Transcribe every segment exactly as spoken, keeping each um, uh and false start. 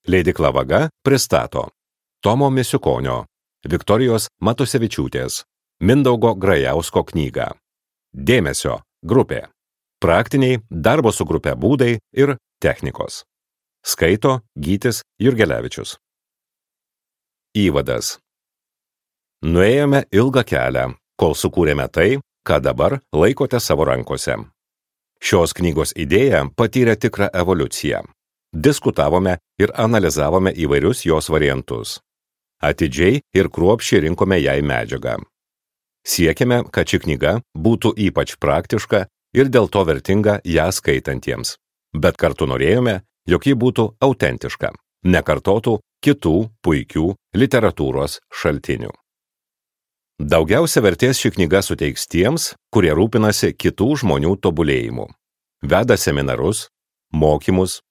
Leidykla Vaga pristato Tomo Misiukonio, Viktorijos Matusevičiūtės, Mindaugo Grajausko knygą. Dėmesio grupė. Praktiniai darbo su grupe būdai ir technikos. Skaito Gytis Jurgelevičius. Įvadas. Nuėjome ilgą kelią, kol sukūrėme tai, ką dabar laikote savo rankose. Šios knygos idėja patyrė tikrą evoliuciją. Diskutavome ir analizavome įvairius jos variantus. Atidžiai ir kruopščiai rinkome jai medžiagą. Siekėme, kad ši knyga būtų ypač praktiška ir dėl to vertinga ją skaitantiems. Bet kartu norėjome, jog ji būtų autentiška, nekartotų kitų puikių literatūros šaltinių. Daugiausia vertės ši knyga suteiks tiems, kurie rūpinasi kitų žmonių tobulėjimu. Veda seminarus, mokymus,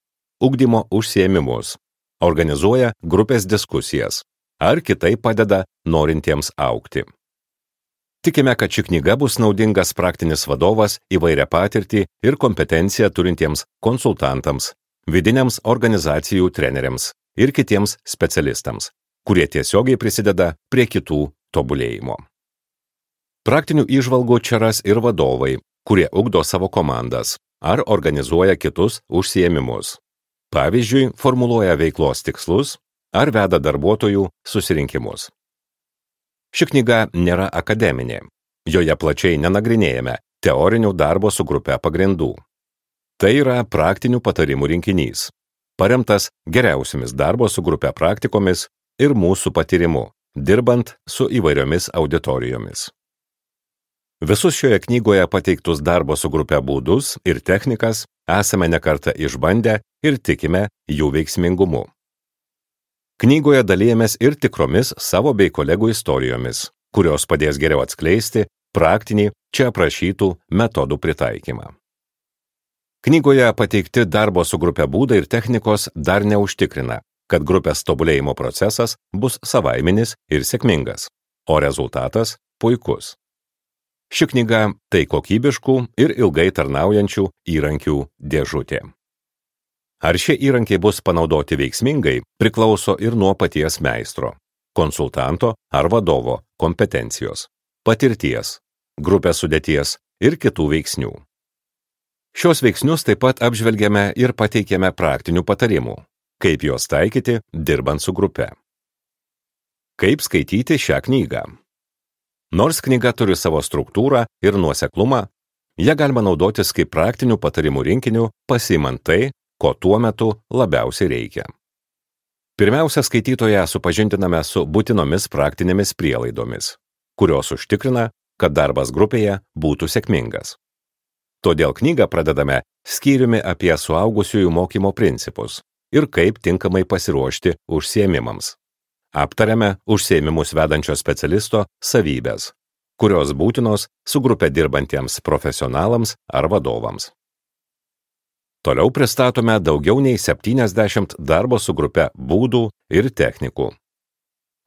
ugdymo užsiėmimus, organizuoja grupės diskusijas ar kitaip padeda norintiems augti. Tikime, kad ši knyga bus naudingas praktinis vadovas įvairią patirtį ir kompetenciją turintiems konsultantams, vidiniams organizacijų treneriams ir kitiems specialistams, kurie tiesiogiai prisideda prie kitų tobulėjimo. Praktinių įžvalgų čia ras ir vadovai, kurie ugdo savo komandas ar organizuoja kitus užsiėmimus. Pavyzdžiui, formuluoja veiklos tikslus ar veda darbuotojų susirinkimus. Ši knyga nėra akademinė. Joje plačiai nenagrinėjame teorinių darbo su grupe pagrindų. Tai yra praktinių patarimų rinkinys, paremtas geriausiamis darbo su grupe praktikomis ir mūsų patyrimu, dirbant su įvairiomis auditorijomis. Visus šioje knygoje pateiktus darbo su grupe būdus ir technikas esame nekartą išbandę ir tikime jų veiksmingumu. Knygoje dalijamės ir tikromis savo bei kolegų istorijomis, kurios padės geriau atskleisti praktinį čia aprašytų metodų pritaikymą. Knygoje pateikti darbo su grupe būdai ir technikos dar neužtikrina, kad grupės tobulėjimo procesas bus savaiminis ir sėkmingas, o rezultatas puikus. Ši knyga tai kokybiškų ir ilgai tarnaujančių įrankių dėžutė. Ar šie įrankiai bus panaudoti veiksmingai, priklauso ir nuo paties meistro, konsultanto ar vadovo kompetencijos, patirties, grupės sudėties ir kitų veiksnių. Šios veiksnius taip pat apžvelgiame ir pateikėme praktinių patarimų, kaip juos taikyti dirbant su grupe. Kaip skaityti šią knygą? Nors knyga turi savo struktūrą ir nuoseklumą, ją galima naudotis kaip praktinių patarimų rinkinių, pasiimant tai, ko tuo metu labiausiai reikia. Pirmiausia, skaitytoją supažindiname su būtinomis praktinėmis prielaidomis, kurios užtikrina, kad darbas grupėje būtų sėkmingas. Todėl knygą pradedame skyriumi apie suaugusiųjų mokymo principus ir kaip tinkamai pasiruošti užsiėmimams. Aptariame užsiėmimus vedančio specialisto savybės, kurios būtinos su grupe dirbantiems profesionalams ar vadovams. Toliau pristatome daugiau nei septyniasdešimt darbo su grupe būdų ir technikų.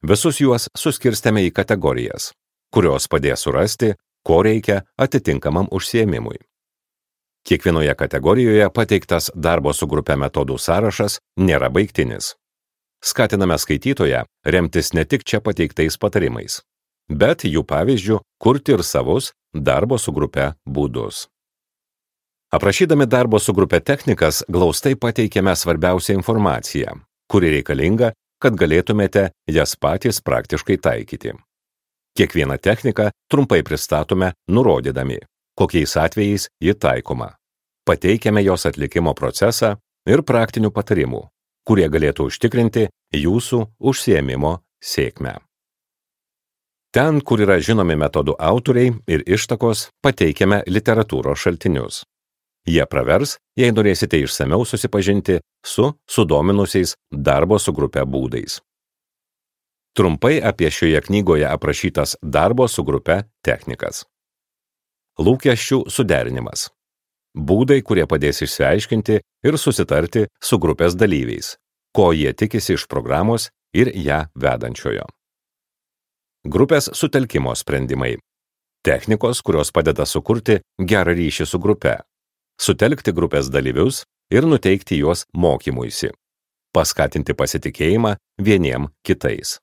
Visus juos suskirstėme į kategorijas, kurios padės surasti, ko reikia atitinkamam užsiėmimui. Kiekvienoje kategorijoje pateiktas darbo su grupe metodų sąrašas nėra baigtinis. Skatiname skaitytoją remtis ne tik čia pateiktais patarimais, bet jų pavyzdžių kurti ir savus darbo su grupe būdus. Aprašydami darbo su grupe technikas, glaustai pateikėme svarbiausią informaciją, kuri reikalinga, kad galėtumėte jas patys praktiškai taikyti. Kiekvieną techniką trumpai pristatome, nurodydami, kokiais atvejais ji taikoma. Pateikiame jos atlikimo procesą ir praktinių patarimų, kurie galėtų užtikrinti jūsų užsiėmimo sėkmę. Ten, kur yra žinomi metodų autoriai ir ištakos, pateikiame literatūros šaltinius. Jie pravers, jei norėsite išsamiau susipažinti su sudominusiais darbo su grupe būdais. Trumpai apie šioje knygoje aprašytas darbo su grupe technikas. Lūkesčių suderinimas. Būdai, kurie padės išsiaiškinti ir susitarti su grupės dalyviais, ko jie tikisi iš programos ir ją vedančiojo. Grupės sutelkimo sprendimai. Technikos, kurios padeda sukurti gerą ryšį su grupe, sutelkti grupės dalyvius ir nuteikti juos mokymuisi. paskatinti pasitikėjimą vieniem kitais.